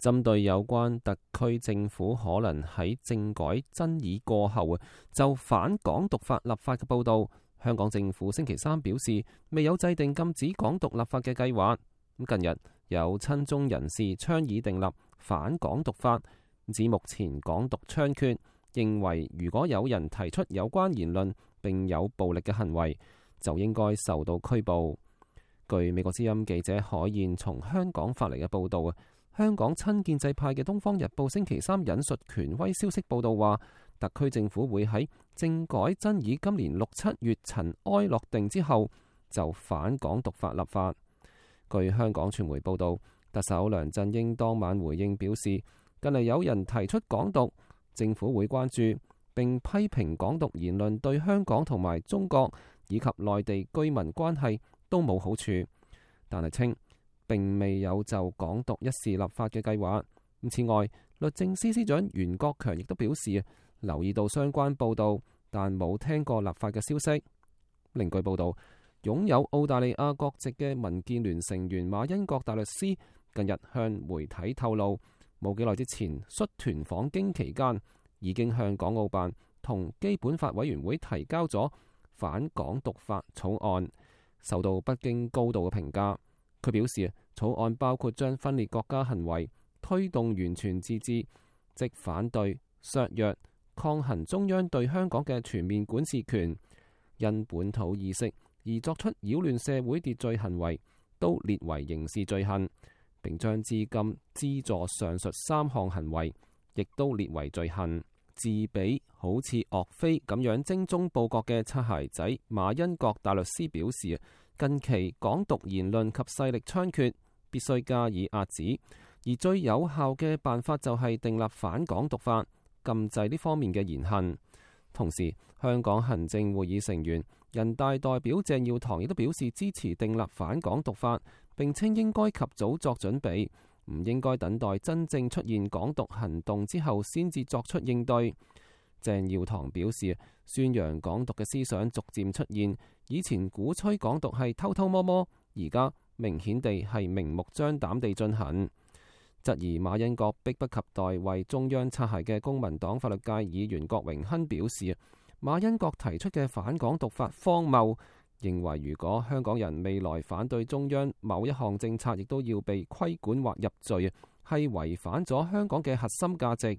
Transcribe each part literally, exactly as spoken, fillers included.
針對有關特區政府可能喺政改爭議過後就反港獨法立法嘅報導，香港政府星期三表示未有制定禁止港獨立法嘅計劃。近日有親中人士倡議訂立反港獨法，指目前港獨猖獗，認為如果有人提出有關言論並有暴力嘅行為，就應該受到拘捕。據美國之音記者海燕從香港發嚟嘅報導，香港親建制派嘅《東方日報》星期三引述權威消息報導話，特區政府會喺政改爭議今年六七月塵埃落定之後就反港獨法立法。據香港傳媒報導，特首梁振英當晚回應表示，近嚟有人提出港獨，政府會關注並批評港獨言論對香港同埋中國以及內地居民關係都冇好處，但係稱並未有就港獨一事立法嘅計劃。此外，律政司司長袁國強亦都表示留意到相關報導，但冇聽過立法嘅消息。另據報導，擁有澳大利亞國籍嘅民建聯成員馬恩國大律師近日向媒體透露，冇幾耐之前率團訪京期間，已經向港澳辦同基本法委員會提交咗反港獨法草案，受到北京高度嘅評價。佢表示，草案包括將分裂國家行為推動完全自治，即反對、削弱、抗衡中央對香港嘅全面管治權，因本土意識而作出擾亂社會秩序行為，都列為刑事罪行，並將資金資助上述三項行為，亦都列為罪行。自比好似岳飛咁樣精忠報國嘅擦鞋仔馬恩國大律師表示，近期港獨言論及勢力猖獗，必須加以遏止，而最有效嘅辦法就係訂立反港獨法，禁制呢方面嘅言行。同時，香港行政會議成員、人大代表鄭耀棠亦都表示支持訂立反港獨法，並稱應該及早作準備，唔應該等待真正出現港獨行動之後先至作出應對。鄭耀棠表示，宣揚港獨嘅思想逐漸出現，以前鼓吹港獨係偷偷摸摸，而家明顯地係明目張膽地進行。質疑馬恩國迫不及待為中央擦鞋嘅公民黨法律界議員郭榮鏗表示，馬恩國提出嘅反港獨法荒謬，認為如果香港人未來反對中央某一項政策，亦都要被規管或入罪，係違反咗香港嘅核心價值。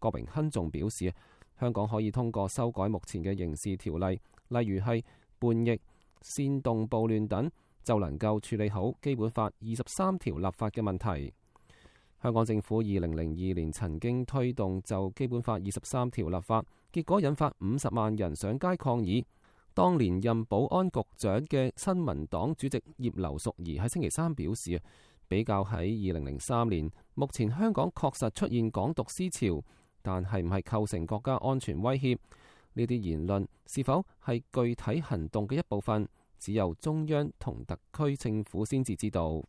郭榮鏗仲表示，香港可以通過修改目前嘅刑事條例，例如係叛逆、煽動暴亂等，就能夠處理好基本法二十三條立法嘅問題。香港政府二零零二年曾經推動就基本法二十三條立法，結果引發五十萬人上街抗議。當年任保安局長嘅新民黨主席葉劉淑儀喺星期三表示，比較喺二零零三年，目前香港確實出現港獨思潮，但係唔係構成國家安全威脅？呢啲言論是否係具體行動嘅一部分，只有中央同特區政府先至知道。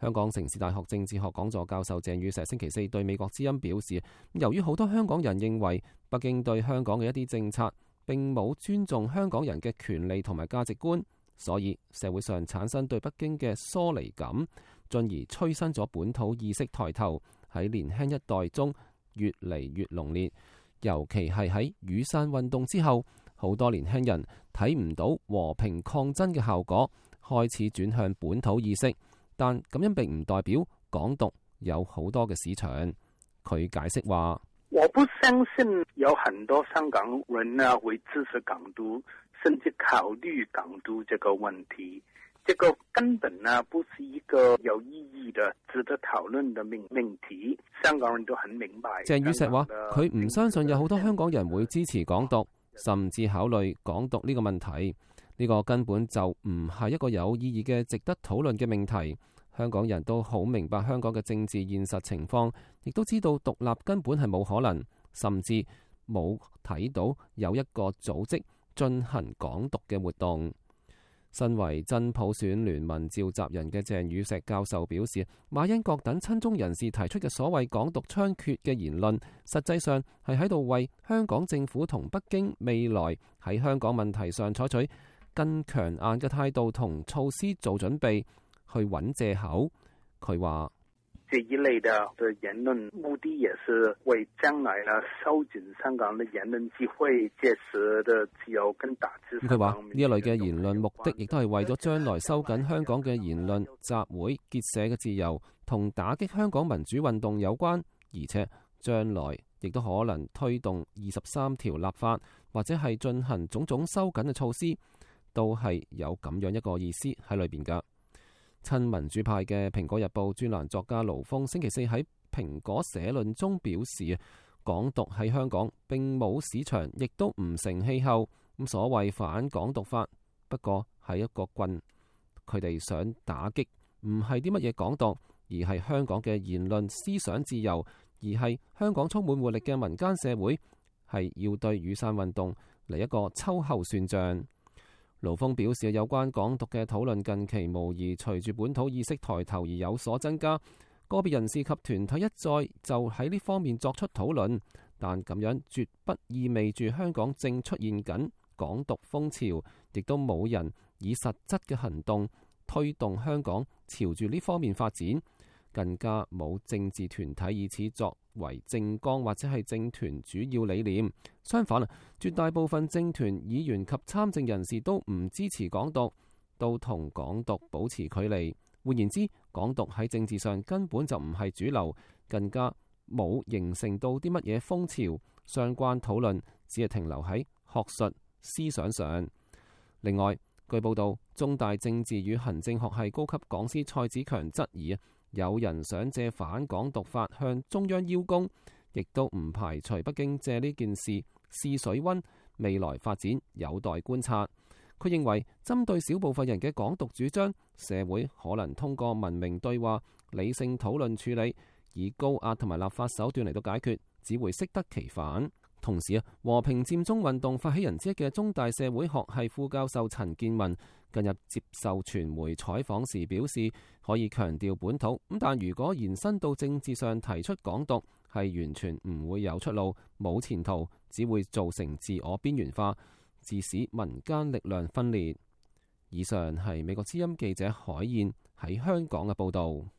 香港城市大學政治學講座教授鄭宇碩星期四對美國之音表示，由於好多香港人認為北京對香港嘅一啲政策並冇尊重香港人嘅權利同埋價值觀，所以社會上產生對北京嘅疏離感，進而催生咗本土意識抬頭，喺年輕一代中越嚟越濃烈。尤其係喺雨傘運動之後，好多年輕人睇唔到和平抗爭嘅效果，開始轉向本土意識。但咁樣並唔代表港獨有好多嘅市場。佢解釋話：我不相信有很多香港人呢會支持港獨，甚至考慮港獨這個問題。這個根本呢不是一個有意義的、值得討論的命命題。香港人都很明白。鄭宇碩話：佢唔相信有好多香港人會支持港獨，甚至考慮港獨呢個問題。呢個根本就唔係一個有意義嘅、值得討論嘅命題。香港人都好明白香港嘅政治現實情況，亦都知道獨立根本係冇可能，甚至冇睇到有一個組織進行港獨嘅活動。身為真普選聯盟召集人嘅鄭宇碩教授表示，馬恩國等親中人士提出嘅所謂港獨猖獗嘅言論，實際上係喺度為香港政府同北京未來喺香港問題上採取更強硬嘅態度同措施做準備，去揾藉口。佢話：這一類的的言論，目的也是為將來呢收緊香港的言論機會，屆時的自由跟打擊。佢話呢一類嘅言論目的，亦都係為咗將來收緊香港嘅言論、集會、結社嘅自由，同打擊香港民主運動有關，而且將來亦都可能推動二十三條立法，或者係進行種種收緊嘅措施，都係有咁樣一個意思喺裏邊噶。親民主派嘅《蘋果日報》專欄作家盧峰星期四喺蘋果社論中表示，港獨喺香港並冇市場，亦都唔成氣候。咁所謂反港獨法，不過係一個棍，佢哋想打擊唔係啲乜嘢港獨，而係香港嘅言論思想自由，而係香港充滿活力嘅民間社會，係要對雨傘運動嚟一個秋後算賬。盧峰表示，有關港獨嘅討論近期無疑隨住本土意識抬頭而有所增加，個別人士及團體一再就喺呢方面作出討論，但咁樣絕不意味住香港正出現緊港獨風潮，亦都冇人以實質嘅行動推動香港朝住呢方面發展，更加冇政治團體以此作為政綱或者係政團主要理念。相反啊，絕大部分政團議員及參政人士都唔支持港獨，都同港獨保持距離。換言之，港獨喺政治上根本就唔係主流，更加冇形成到啲乜嘢風潮。相關討論只係停留喺學術思想上。另外，據報道，中大政治與行政學系高級講師蔡子強質疑有人想借反港獨法向中央邀功，亦都唔排除北京借呢件事試水溫，未來發展有待觀察。佢認為，針對小部分人嘅港獨主張，社會可能通過文明對話、理性討論處理，以高壓同埋立法手段嚟到解決，只會適得其反。同時啊，和平佔中運動發起人之一嘅中大社會學系副教授陳建文近日接受傳媒採訪時表示，可以強調本土，咁但如果延伸到政治上提出港獨，係完全唔會有出路、冇前途，只會造成自我邊緣化，致使民間力量分裂。以上係美國之音記者海燕喺香港嘅報導。